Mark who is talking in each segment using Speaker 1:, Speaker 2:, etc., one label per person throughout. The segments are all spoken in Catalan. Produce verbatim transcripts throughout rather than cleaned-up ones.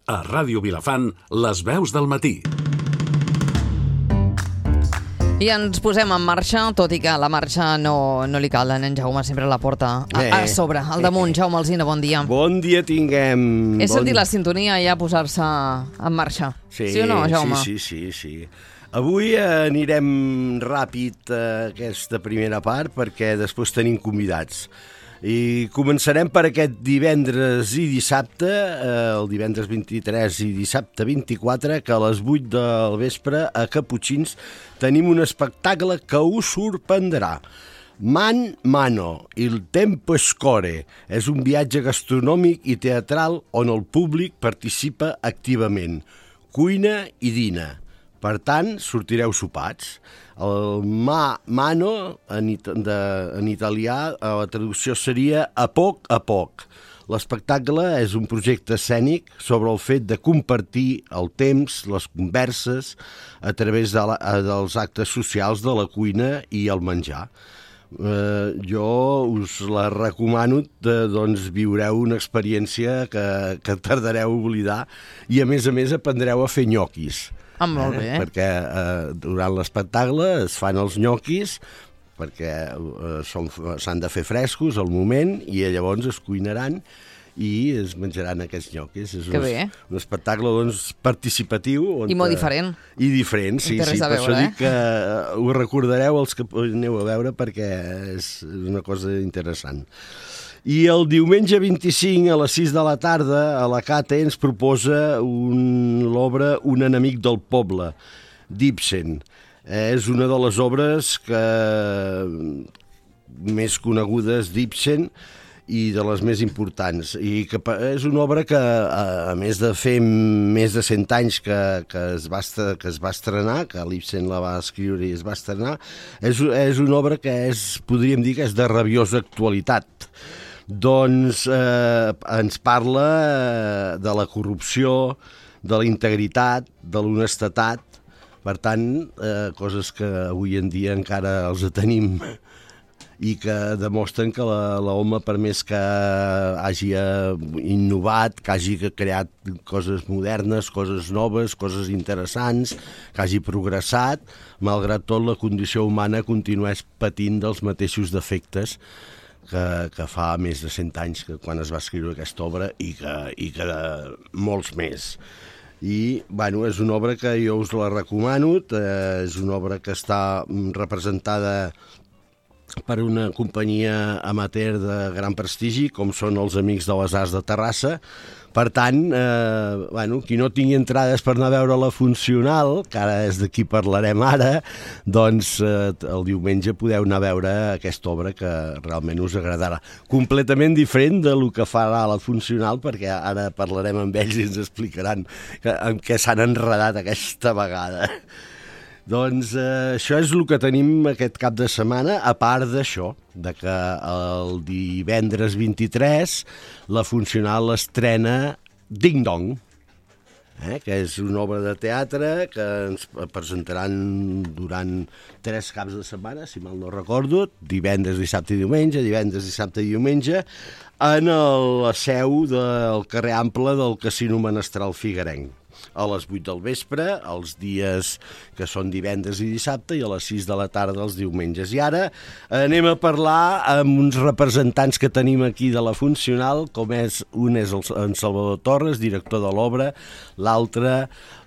Speaker 1: A Ràdio Vilafant, les veus del matí.
Speaker 2: I ens posem en marxa, tot i que la marxa no, no li cal a en Jaume, sempre la porta a, a sobre, al damunt. Jaume Alsina, bon dia.
Speaker 3: Bon dia tinguem.
Speaker 2: He
Speaker 3: bon...
Speaker 2: sentit la sintonia ja posar-se en marxa.
Speaker 3: Sí,
Speaker 2: sí o no, Jaume?
Speaker 3: Sí, sí, sí, sí. Avui anirem ràpid a aquesta primera part perquè després tenim convidats. I començarem per aquest divendres i dissabte, eh, el divendres vint-i-tres i dissabte vint-i-quatre, que a les vuit del vespre a Caputxins tenim un espectacle que us sorprendrà. Man Mano, il tempo scorre, és un viatge gastronòmic i teatral on el públic participa activament. Cuina i dina. Per tant, sortireu sopats. El ma, mano, en, it de, en italià, la traducció seria a poc a poc. L'espectacle és un projecte escènic sobre el fet de compartir el temps, les converses, a través de la, dels actes socials de la cuina i el menjar. Eh, jo us la recomano, de, doncs viureu una experiència que, que tardareu a oblidar i a més a més aprendreu a fer nyoquis.
Speaker 2: Ah, molt bé.
Speaker 3: Eh? Perquè eh, durant l'espectacle es fan els nyoquis perquè eh, s'han de fer frescos al moment i llavors es cuinaran i es menjaran aquests nyoquis. És
Speaker 2: que
Speaker 3: un,
Speaker 2: bé.
Speaker 3: Un espectacle doncs, participatiu. On,
Speaker 2: I molt diferent.
Speaker 3: I diferent, sí. sí. Per
Speaker 2: veure,
Speaker 3: això
Speaker 2: eh?
Speaker 3: dic que ho recordareu els que aneu a veure perquè és una cosa interessant. I el diumenge vint-i-cinc a les sis de la tarda a la Cate ens proposa un, l'obra Un enemic del poble, d'Ibsen. És una de les obres que, més conegudes d'Ibsen i de les més importants. I que és una obra que, a més de fer més de cent anys que, que, es, va, que es va estrenar, que l'Ibsen la va escriure i es va estrenar, és, és una obra que és, podríem dir que és de rabiosa actualitat. Doncs eh, ens parla eh, de la corrupció, de la integritat, de l'honestedat, per tant, eh, coses que avui en dia encara els tenim i que demostren que l'home, per més que hagi innovat, que hagi creat coses modernes, coses noves, coses interessants, que hagi progressat, malgrat tot la condició humana continués patint dels mateixos defectes Que, que fa més de cent anys que quan es va escriure aquesta obra i que, i que de molts més. I, bueno, és una obra que jo us la recomano, eh, és una obra que està representada per una companyia amateur de gran prestigi, com són els Amics de les Arts de Terrassa. Per tant, eh, bueno, qui no tingui entrades per anar a veure la funcional, que ara és de qui parlarem ara, doncs eh, el diumenge podeu anar a veure aquesta obra que realment us agradarà. Completament diferent de lo que farà la funcional, perquè ara parlarem amb ells i ens explicaran que, en què s'han enredat aquesta vegada. Doncs eh, això és el que tenim aquest cap de setmana, a part d'això, de que el divendres vint-i-tres la funcional estrena Ding Dong, eh, que és una obra de teatre que ens presentaran durant tres caps de setmana, si mal no recordo, divendres, dissabte i diumenge, divendres, dissabte i diumenge, en la seu del carrer Ample del Casino Menestral Figuerenc. A les vuit del vespre, els dies que són divendres i dissabte, i a les sis de la tarda els diumenges. I ara anem a parlar amb uns representants que tenim aquí de la funcional, com és un és el, en Salvador Torres, director de l'obra, l'altre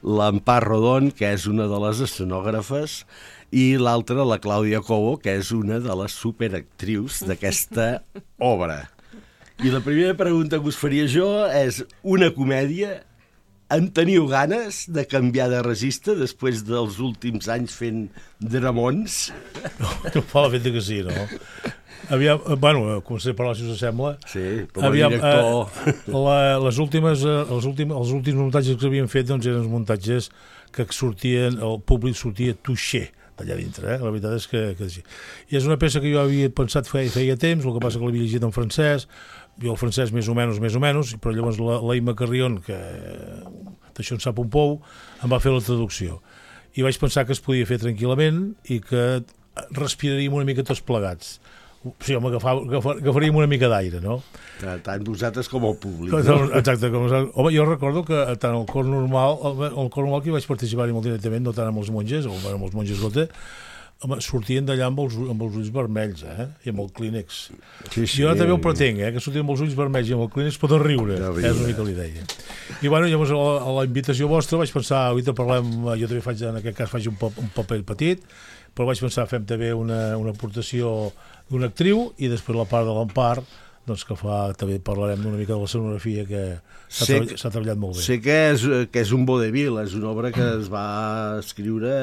Speaker 3: l'Empar Rodon, que és una de les escenògrafes, i l'altra la Clàudia Cobo, que és una de les superactrius d'aquesta obra. I la primera pregunta que us faria jo és una comèdia. En teniu ganes de canviar de registre després dels últims anys fent dramons?
Speaker 4: No, no fa la feta que sí, no? Aviam, bueno, començaré a parlar, si us sembla.
Speaker 3: Sí, com a
Speaker 4: Aviam,
Speaker 3: director.
Speaker 4: Eh, la, les últimes, els, últims, els últims muntatges que havíem fet doncs, eren els muntatges que sortien, el públic sortia touché d'allà dintre, eh? La veritat és que, que sí. I és una peça que jo havia pensat feia, feia temps, el que passa que l'havia llegit en francès, jo el francès més o menys, més o menys, però llavors la, la Imma Carrion, que d'això en sap un pou, em va fer la traducció. I vaig pensar que es podia fer tranquil·lament i que respiraríem una mica tots plegats. Sí, home, agafar, agafar, agafaríem una mica d'aire, no?
Speaker 3: Tant vosaltres com el públic.
Speaker 4: No? Exacte. Com, home, jo recordo que tant el cor normal, el, el cor normal que hi vaig participar-hi molt directament, no tant amb els monges, o amb els monges gote, home, sortien d'allà amb, els, amb els ulls vermells, eh? I amb el clínex. Sí, sí, jo també ho pretenc, eh? Que sortien amb els ulls vermells i amb el clínex poden riure. No, és una mica l'idea. I bueno, llavors a la, a la invitació vostra vaig pensar, avui parlem, jo també faig, en aquest cas faig un, pap, un paper petit, però vaig pensar, fem també una, una aportació d'una actriu i després la part de l'Empar, doncs que fa, també parlarem d'una mica de la escenografia que s'ha treballat, treballat molt bé.
Speaker 3: Sé que és, que és un vodevil, és una obra que es va escriure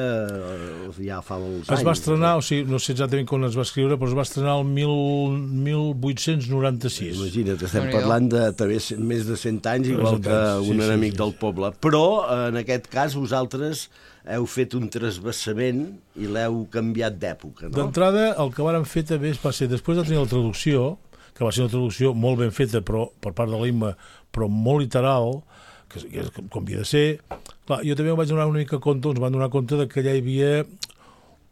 Speaker 3: ja fa molts anys.
Speaker 4: Es va estrenar, o sigui, no sé exactament quan es va escriure, però es va estrenar el mil vuit-cents noranta-sis.
Speaker 3: Imagina't, estem parlant de també més de cent anys, igual que un sí, enemic sí, sí. del poble. Però, en aquest cas, vosaltres heu fet un trasbassament i l'heu canviat d'època, no?
Speaker 4: D'entrada, el que vàrem fer també va ser, després de tenir la traducció, que va ser una traducció molt ben feta però per part de l'Imma, però molt literal, que, que com havia de ser. Clar, jo també em vaig donar una mica compte, ens van donar compte de que allà hi havia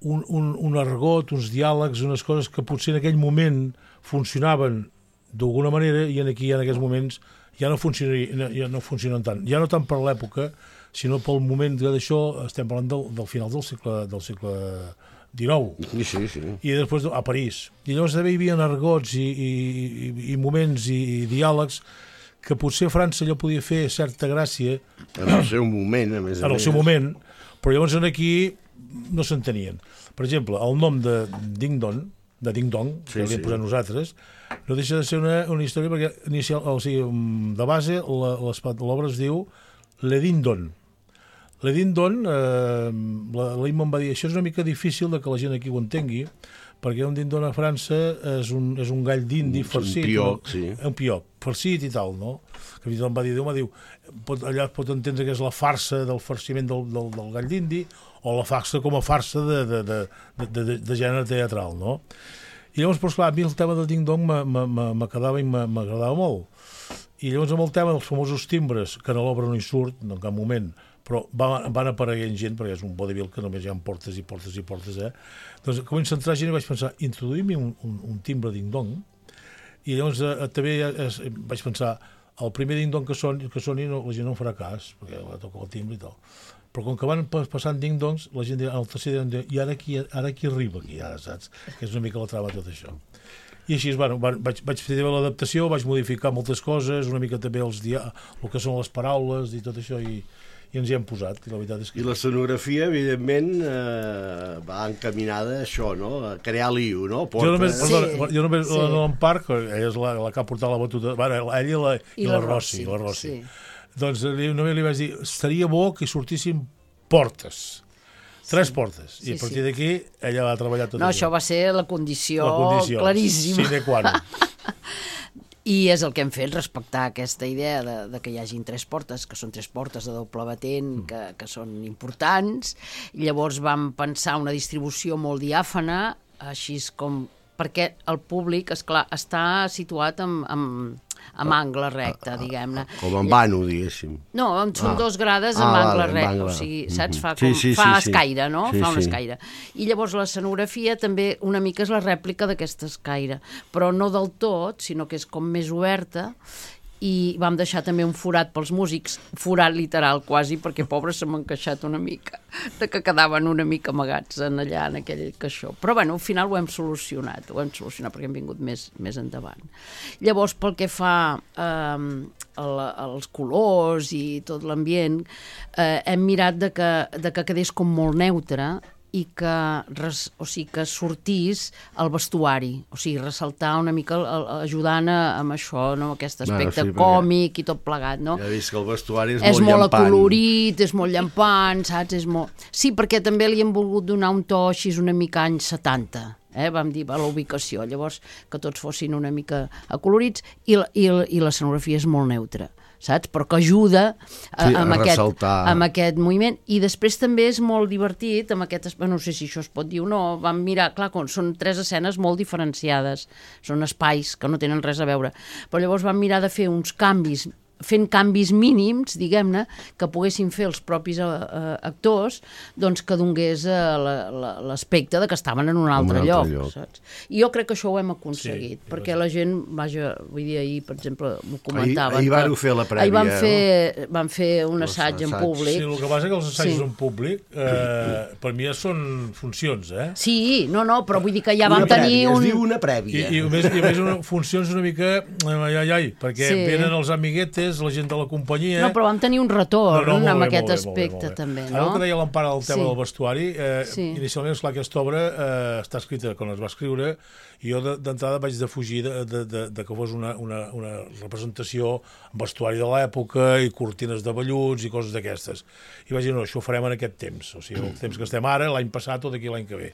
Speaker 4: un, un, un argot, uns diàlegs, unes coses que potser en aquell moment funcionaven d'alguna manera i en aquí, en aquests moments, ja no, ja no funcionen tant. Ja no tant per l'època, sinó pel moment d'això, estem parlant del, del final del segle, del segle dinou.
Speaker 3: Sí, sí, sí.
Speaker 4: I després a París. I llavors també hi havia argots i, i, i, i moments i, i diàlegs que potser a França allò podia fer certa gràcia.
Speaker 3: En el seu moment, a més a més.
Speaker 4: En el seu moment, però llavors aquí no s'entenien. Per exemple, el nom de Ding Dong, de Ding Dong, sí, que l'hem sí. posat nosaltres, no deixa de ser una, una història perquè inicial, o sigui, de base l'obra es diu Le Ding Dong. Le Ding Dong, eh, l'Imma em va dir, això és una mica difícil de que la gent aquí ho entengui, perquè un Ding Dong a França és un, és un gall d'indi farcit.
Speaker 3: Un pioc, no? Sí.
Speaker 4: Un pioc, farcit i tal, no? Que fins i tot em va dir, Déu m'ha diu, pot, allà es pot entendre que és la farsa del farciment del, del, del gall d'indi, o la farsa com a farsa de, de, de, de, de, de gènere teatral, no? I llavors, però, esclar, a mi el tema del Ding Dong m'agradava i m'agradava molt. I llavors amb el tema dels famosos timbres, que a l'obra no hi surt, en cap moment, però van, van apareguent gent, perquè és un vodevil que només hi ha portes i portes i portes, eh? Doncs comença a entrar gent i vaig pensar, introduïm-hi un, un, un timbre ding-dong, i llavors eh, també eh, vaig pensar, el primer ding-dong que soni, que soni no, la gent no en farà cas, perquè va tocar el timbre i tal. Però com que van passant ding-dongs, la gent dirà, el tercer dirà, i ara qui, ara qui arriba aquí, ara, saps? Que és una mica la trama tot això. I així, bueno, vaig, vaig fer l'adaptació, vaig modificar moltes coses, una mica també els dia, el que són les paraules i tot això, i, i ens hi hem posat. I la veritat és que...
Speaker 3: I l'escenografia, evidentment, eh, va encaminada a això, no? A crear l'I U, no? Porta...
Speaker 4: Jo només, sí, perdona, jo només sí. en Parc, ella és la, la que ha portat la batuta, bueno, ella i la, i, i la, la Rossi, la Rossi. Sí. Doncs només li vaig dir, estaria bo que sortissin portes. Tres sí. portes. I sí, a partir sí. d'aquí ella va treballar tot
Speaker 5: no, això. No, això va ser la condició, la condició claríssima.
Speaker 4: Sine qua non.
Speaker 5: I és el que hem fet, respectar aquesta idea de, de que hi hagin tres portes, que són tres portes de doble batent, mm. que, que són importants. I llavors vam pensar una distribució molt diàfana, així com... perquè el públic, esclar, està situat amb, amb, amb angle recte, diguem-ne.
Speaker 3: Com en vano, diguéssim.
Speaker 5: No, són ah. dos grades amb ah, angle recte, o sigui, saps? Fa, com, sí, sí, fa sí, escaire, no? Sí, fa un sí. escaire. I llavors l'escenografia també una mica és la rèplica d'aquesta escaire, però no del tot, sinó que és com més oberta, i vam deixar també un forat pels músics, forat literal quasi, perquè pobres se m'han queixat una mica, de que quedaven una mica amagats en allà, en aquell caixó. Però bueno, al final ho hem solucionat, ho hem solucionat perquè hem vingut més, més endavant. Llavors, pel que fa eh, als colors i tot l'ambient, eh, hem mirat de que, de que quedés com molt neutre, i que, res, o sigui, que sortís el vestuari, o sigui, ressaltar una mica, el, el, ajudant a, amb això, no? Aquest aspecte no, sí, còmic i tot plegat, no?
Speaker 3: Ja he vist que el vestuari és,
Speaker 5: és
Speaker 3: molt llampant. És molt
Speaker 5: acolorit, és molt llampant, saps? És molt... Sí, perquè també li hem volgut donar un to així una mica anys setanta, eh? Vam dir, va, la ubicació, llavors que tots fossin una mica acolorits, i, i, i l'escenografia és molt neutra, saps? Però que ajuda a,
Speaker 3: sí,
Speaker 5: amb,
Speaker 3: a
Speaker 5: aquest, amb aquest moviment. I després també és molt divertit, amb aquest, no sé si això es pot dir o no, vam mirar, clar, són tres escenes molt diferenciades, són espais que no tenen res a veure, però llavors vam mirar de fer uns canvis fent canvis mínims, diguem-ne, que poguessin fer els propis uh, actors, doncs que donés uh, l'aspecte de que estaven en un altre, un altre lloc, lloc. Saps? I jo crec que això ho hem aconseguit, sí, perquè la gent, vaja, vull dir, ahir, per exemple, m'ho comentaven.
Speaker 3: Ahir, ahir van fer la prèvia,
Speaker 5: ahir van fer,
Speaker 3: no?
Speaker 5: Van fer un assaig en públic.
Speaker 4: Sí, el que passa que els assajos sí. en públic, eh, per mi ja són funcions, eh?
Speaker 5: Sí, no, no, però vull dir que ja vam tenir un...
Speaker 3: Es diu una prèvia.
Speaker 4: I, i, a més, i a més una, funcions una mica, ai, ai, ai, perquè sí. venen els amiguetes, la gent de la companyia...
Speaker 5: No, però vam tenir un retorn no, no, amb bé, aquest bé, aspecte, bé, també, no?
Speaker 4: Ara el que deia l'Empara del tema sí. del vestuari, eh,
Speaker 5: sí.
Speaker 4: inicialment, esclar, aquesta obra eh, està escrita quan es va escriure, i jo d'entrada vaig defugir de, de, de, de que fos una, una, una representació amb vestuari de l'època i cortines de velluts i coses d'aquestes. I vaig dir, no, això ho farem en aquest temps, o sigui, el temps que estem ara, l'any passat o d'aquí l'any que ve.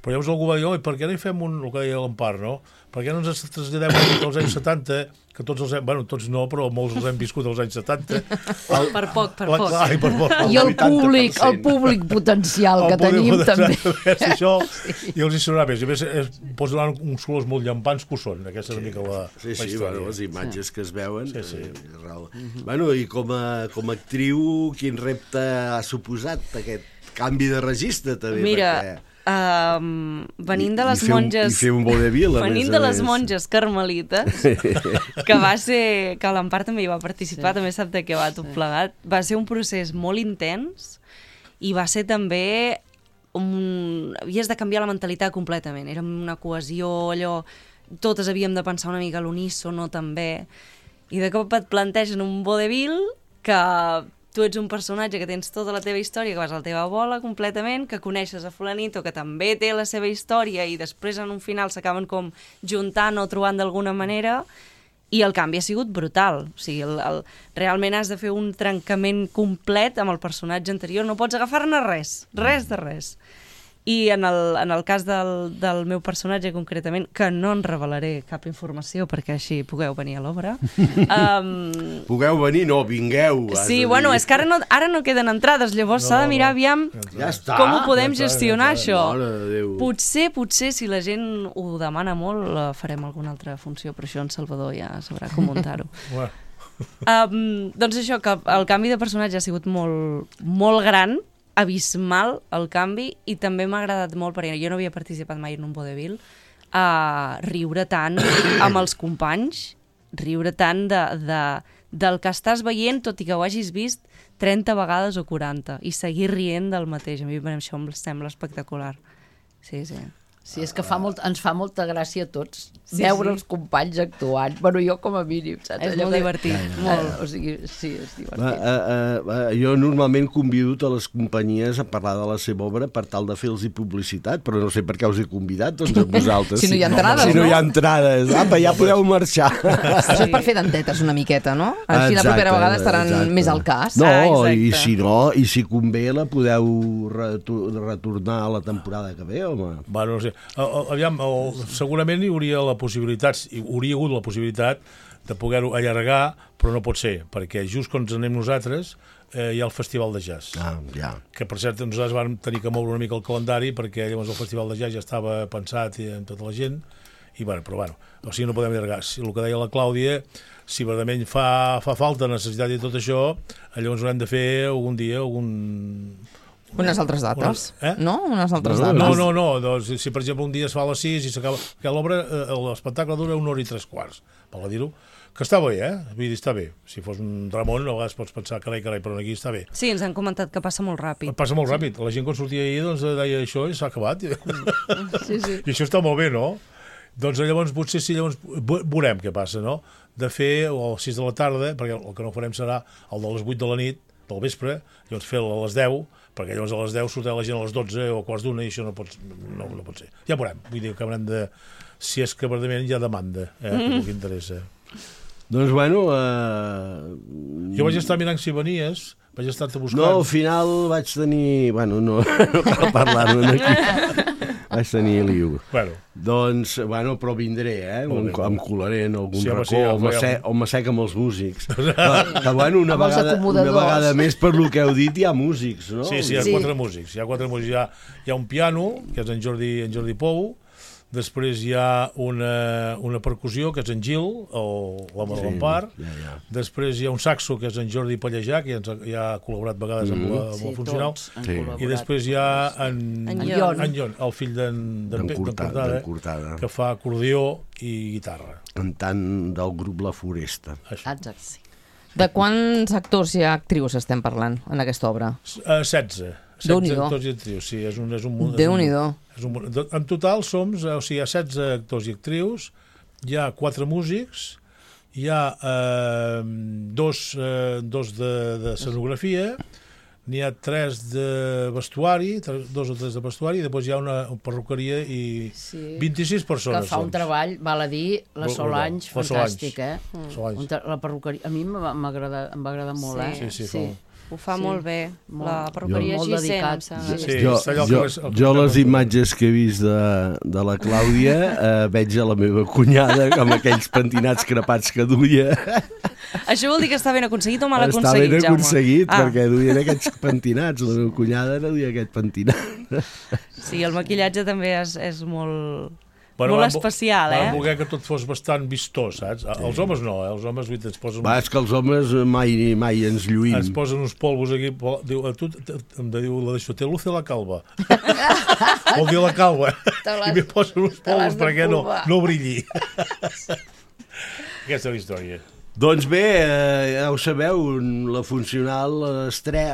Speaker 4: Però llavors algú va dir, oi, per què no hi fem un, el que deia l'Empar, no? Per què no ens traslladem als anys setanta, que tots els hem, bueno, tots no, però molts els hem viscut als anys setanta.
Speaker 2: El, per poc, per
Speaker 4: la,
Speaker 2: poc.
Speaker 4: Ai, per poc.
Speaker 5: I el públic, el públic potencial el que públic tenim
Speaker 4: potencial,
Speaker 5: també.
Speaker 4: És això, sí. I els hi sonarà més. I a més, es, pots donar uns colors molt llampants que ho són. Aquesta és una mica la,
Speaker 3: sí, sí,
Speaker 4: la història.
Speaker 3: Bueno, les imatges sí. que es veuen.
Speaker 4: Sí, sí.
Speaker 3: Eh, mm-hmm. Bueno, i com a, com a actriu, quin repte ha suposat aquest canvi de registre, també?
Speaker 6: Mira,
Speaker 3: perquè...
Speaker 6: Um, venint de les
Speaker 3: I, i
Speaker 6: monges
Speaker 3: i fer un vodevil
Speaker 6: venint de les monges carmelites que va ser, que l'Empar també hi va participar, sí. també sap de què va tot sí. plegat, va ser un procés molt intens i va ser també un... havies de canviar la mentalitat completament, era una cohesió allò, totes havíem de pensar una mica a l'unísono també, i de cop et plantegen un vodevil que tu ets un personatge que tens tota la teva història, que vas a la teva bola completament, que coneixes a fulanito, que també té la seva història i després en un final s'acaben com juntant o trobant d'alguna manera, i el canvi ha sigut brutal. O sigui, el, el, realment has de fer un trencament complet amb el personatge anterior, no pots agafar-ne res, res de res. I en el, en el cas del, del meu personatge concretament, que no en revelaré cap informació perquè així pugueu venir a l'obra. Um...
Speaker 3: Pugueu venir? No, vingueu.
Speaker 6: Sí, bueno, és que ara no, ara no queden entrades, llavors s'ha no, de mirar aviam
Speaker 3: ja està,
Speaker 6: com ho podem
Speaker 3: ja
Speaker 6: gestionar,
Speaker 3: ja
Speaker 6: això.
Speaker 3: Potser,
Speaker 6: potser, si la gent ho demana molt, farem alguna altra funció, però això en Salvador ja sabrà com muntar-ho. um, doncs això, que el canvi de personatge ha sigut molt, molt gran, abismal el canvi, i també m'ha agradat molt, perquè jo no havia participat mai en un vodevil, a riure tant amb els companys, riure tant de, de, del que estàs veient, tot i que ho hagis vist trenta vegades o quaranta, i seguir rient del mateix. A mi això em sembla espectacular. Sí, sí.
Speaker 5: Sí, és que fa molt, ens fa molta gràcia a tots
Speaker 6: sí,
Speaker 5: veure
Speaker 6: sí.
Speaker 5: els companys actuant. Bueno, jo com a mínim, saps?
Speaker 6: És molt divertit.
Speaker 5: Ja, ja. Molt. Uh, o sigui, sí, és divertit.
Speaker 3: Va, uh, uh, jo normalment convido a les companyies a parlar de la seva obra per tal de fer-los publicitat, però no sé per què us he convidat, doncs a vosaltres.
Speaker 2: Si no hi ha entrades,
Speaker 3: no? Si no hi ha entrades, apa, ja podeu marxar.
Speaker 2: Això és per fer dentetes una miqueta, no? Així exacte, la propera vegada estaran exacte. més al cas.
Speaker 3: No,
Speaker 2: ah,
Speaker 3: i si no, i si convé la podeu retornar a la temporada que ve, home.
Speaker 4: Bueno, no sé. Aviam, el, segurament hi hauria la possibilitat, hi hauria hagut la possibilitat de poder-ho allargar, però no pot ser, perquè just quan ens anem nosaltres eh, hi ha el Festival de Jazz.
Speaker 3: Ah, ja.
Speaker 4: Que, per cert, nosaltres vam tenir que moure una mica el calendari, perquè llavors el Festival de Jazz ja estava pensat amb tota la gent, i bueno, però bueno, o sigui, no podem allargar. Si el que deia la Clàudia, si verdament fa, fa falta necessitat i tot això, llavors haurem de fer algun dia, algun...
Speaker 2: Unes altres dates,
Speaker 4: eh?
Speaker 2: no? Unes altres
Speaker 4: no,
Speaker 2: dates.
Speaker 4: No, no, no. Doncs, si per exemple un dia es fa a les sis i s'acaba... Que l'obra, l'espectacle dura una hora i tres quarts, per dir-ho, que està bé, eh? Vull dir, està bé. Si fos un Ramon, a vegades pots pensar, carai, carai, però aquí està bé.
Speaker 6: Sí, ens han comentat que passa molt ràpid.
Speaker 4: Passa molt ràpid. La gent quan sortia ahir doncs, deia això i s'ha acabat.
Speaker 5: Sí, sí.
Speaker 4: I això està molt bé, no? Doncs llavors potser sí, llavors veurem què passa, no? De fer a les sis de la tarda, perquè el que no farem serà el de les vuit de la nit, del vespre, llavors fer-lo a les deu, perquè llavors a les deu sortirà la gent a les dotze o a quarts d'una i això no pot, no, no pot ser. Ja veurem, vull dir que haurem de... Si és que verdament hi ha demanda, eh, mm. que interessa.
Speaker 3: Doncs bueno... Uh...
Speaker 4: Jo vaig estar mirant si venies, vaig estar-te buscant...
Speaker 3: No, al final vaig tenir... Bueno, no, no cal parlar-ne aquí. Vaig tenir liu.
Speaker 4: Bueno.
Speaker 3: Doncs, bueno, però vindré, eh? Un, em colaré en algun sí, racó, sí, o m'assec ja, amb els músics. Però, que, bueno, una vegada, una vegada més per lo que heu dit, hi ha músics, no?
Speaker 4: Sí, sí, hi ha sí. quatre músics. Hi ha quatre músics. Hi ha, hi ha un piano, que és en Jordi, en Jordi Pou, després hi ha una, una percussió, que és en Gil, o l'home de l'Empar,
Speaker 3: ja, ja.
Speaker 4: després hi ha un saxo, que és en Jordi Pallejà, que ja, ens ha, ja ha col·laborat vegades amb, la, amb
Speaker 5: sí,
Speaker 4: el funcional,
Speaker 5: sí.
Speaker 4: i després hi ha en,
Speaker 6: en
Speaker 5: Ion.
Speaker 4: en Ion, el fill d'en
Speaker 3: Cortada,
Speaker 4: Cortada, que fa acordió i guitarra.
Speaker 3: Cantant del grup La Foresta.
Speaker 4: Això.
Speaker 5: Exacte, sí.
Speaker 2: De quants actors i actrius estem parlant en aquesta obra?
Speaker 4: Uh, setze. setze actors i actrius, sí, és un, és un munt.
Speaker 2: Déu-n'hi-do.
Speaker 4: En total som, o sigui, hi ha setze actors i actrius, hi ha quatre músics, hi ha eh, dos, eh, dos de, de escenografia, n'hi ha tres de vestuari, tres, dos o tres de vestuari, i després hi ha una perruqueria i
Speaker 5: sí.
Speaker 4: vint-i-sis persones.
Speaker 5: Que fa un
Speaker 4: doncs.
Speaker 5: treball, val a dir, la Solange,
Speaker 4: la
Speaker 5: fantàstic,
Speaker 4: Solange.
Speaker 5: eh?
Speaker 4: Solange.
Speaker 5: La perruqueria, a mi m'agrada, em va agradar molt,
Speaker 6: Sí.
Speaker 5: eh?
Speaker 4: Sí, sí, sí.
Speaker 6: Ho fa
Speaker 5: Sí.
Speaker 6: molt bé.
Speaker 5: Molt.
Speaker 6: La perruqueria
Speaker 5: Molt
Speaker 6: Gissent, em
Speaker 5: dedicat.
Speaker 6: sembla.
Speaker 4: Sí.
Speaker 3: Jo,
Speaker 4: està allò
Speaker 3: jo,
Speaker 4: que és- el que
Speaker 3: jo
Speaker 4: estem
Speaker 3: les
Speaker 4: fent.
Speaker 3: imatges que he vist de, de la Clàudia eh, veig a la meva cunyada amb aquells pentinats crepats que duia.
Speaker 6: Això vol dir que està ben aconseguit o mal
Speaker 3: Està
Speaker 6: aconseguit,
Speaker 3: ben
Speaker 6: Jaume?
Speaker 3: aconseguit,
Speaker 6: Ah,
Speaker 3: perquè duien aquests pentinats. La meva cunyada no duia aquest pentinat.
Speaker 6: sí, el maquillatge també és, és molt,
Speaker 4: Bueno,
Speaker 6: molt
Speaker 4: van vo-
Speaker 6: especial,
Speaker 4: Van
Speaker 6: eh?
Speaker 4: voler que tot fos bastant vistós, saps? Els homes no, eh? Els homes vull dir, ens posen,
Speaker 3: Va, és que els homes mai, mai ens lluïm.
Speaker 4: ens posen uns polvos aquí. pol- Diu, a tu, t- em diu la d'això, te luce la calva. Vol dir la calva.
Speaker 2: Te l'has-
Speaker 4: I me posen uns
Speaker 2: te l'has
Speaker 4: polvos
Speaker 2: de
Speaker 4: perquè no,
Speaker 2: polvar.
Speaker 4: no brilli. Aquesta és la història.
Speaker 3: Doncs bé, eh, ja ho sabeu, la Funcional estre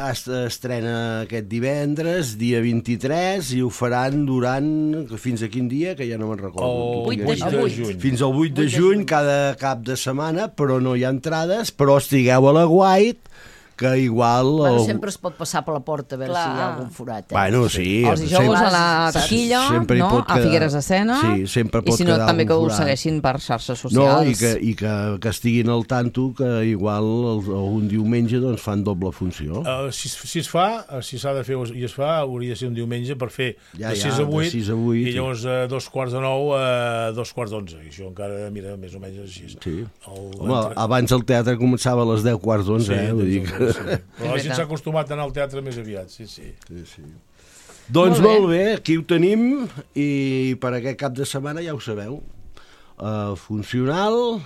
Speaker 3: estrena aquest divendres, dia vint-i-tres, i ho faran durant... fins a quin dia, que ja no me'n recordo.
Speaker 4: El
Speaker 6: vuit de
Speaker 4: vuit de
Speaker 6: juny.
Speaker 4: juny.
Speaker 3: Fins al vuit de juny, cada cap de setmana, però no hi ha entrades, però estigueu a la White, que igual...
Speaker 5: Bueno,
Speaker 3: el-
Speaker 5: sempre es pot passar per la porta a veure
Speaker 6: Clar.
Speaker 5: si hi ha algun forat. Eh?
Speaker 3: Bueno, sí.
Speaker 2: Els dijous a la
Speaker 5: Saps?
Speaker 2: taquilla,
Speaker 3: Sempre hi
Speaker 2: no?
Speaker 3: pot
Speaker 2: a
Speaker 3: quedar-
Speaker 2: Figueres de Sena,
Speaker 3: Sí, sempre
Speaker 2: i
Speaker 3: pot
Speaker 2: si no
Speaker 3: quedar
Speaker 2: també que
Speaker 3: algun
Speaker 2: ho
Speaker 3: forat.
Speaker 2: segueixin per xarxes
Speaker 3: No,
Speaker 2: socials.
Speaker 3: i, que, i que, que estiguin al tanto que igual el, un diumenge doncs, fan doble funció.
Speaker 4: Uh, si, si es fa, uh, si s'ha de fer i es fa, hauria de ser un diumenge per fer
Speaker 3: Ja,
Speaker 4: de
Speaker 3: ja,
Speaker 4: sis a
Speaker 3: de
Speaker 4: vuit,
Speaker 3: sis a vuit,
Speaker 4: i llavors uh, dos quarts de nou a uh, dos quarts d'onze. I això encara, mira, més o menys així.
Speaker 3: Sí.
Speaker 4: El,
Speaker 3: Home,
Speaker 4: entre-
Speaker 3: abans el teatre començava a les deu quarts d'onze, eh? Vull dir que...
Speaker 4: sí. Però la gent s'ha acostumat a anar al teatre més aviat, sí, sí.
Speaker 3: Sí, sí. Doncs
Speaker 2: Molt bé.
Speaker 3: molt bé, aquí ho tenim, i per aquest cap de setmana ja ho sabeu. Uh, funcional,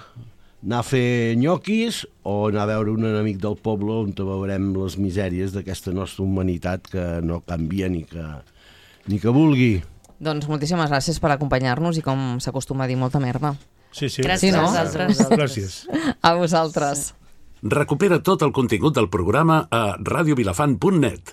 Speaker 3: anar a fer nyoquis o anar a veure un enemic del poble on veurem les misèries d'aquesta nostra humanitat que no canvia ni que, ni que vulgui.
Speaker 2: Doncs moltíssimes gràcies per acompanyar-nos i, com s'acostuma a dir, molta merda.
Speaker 4: Sí, sí.
Speaker 6: Gràcies
Speaker 2: Sí, no?
Speaker 6: a vosaltres.
Speaker 4: Gràcies.
Speaker 2: A vosaltres.
Speaker 1: Recupera tot el contingut del programa a radiovilafant punt net.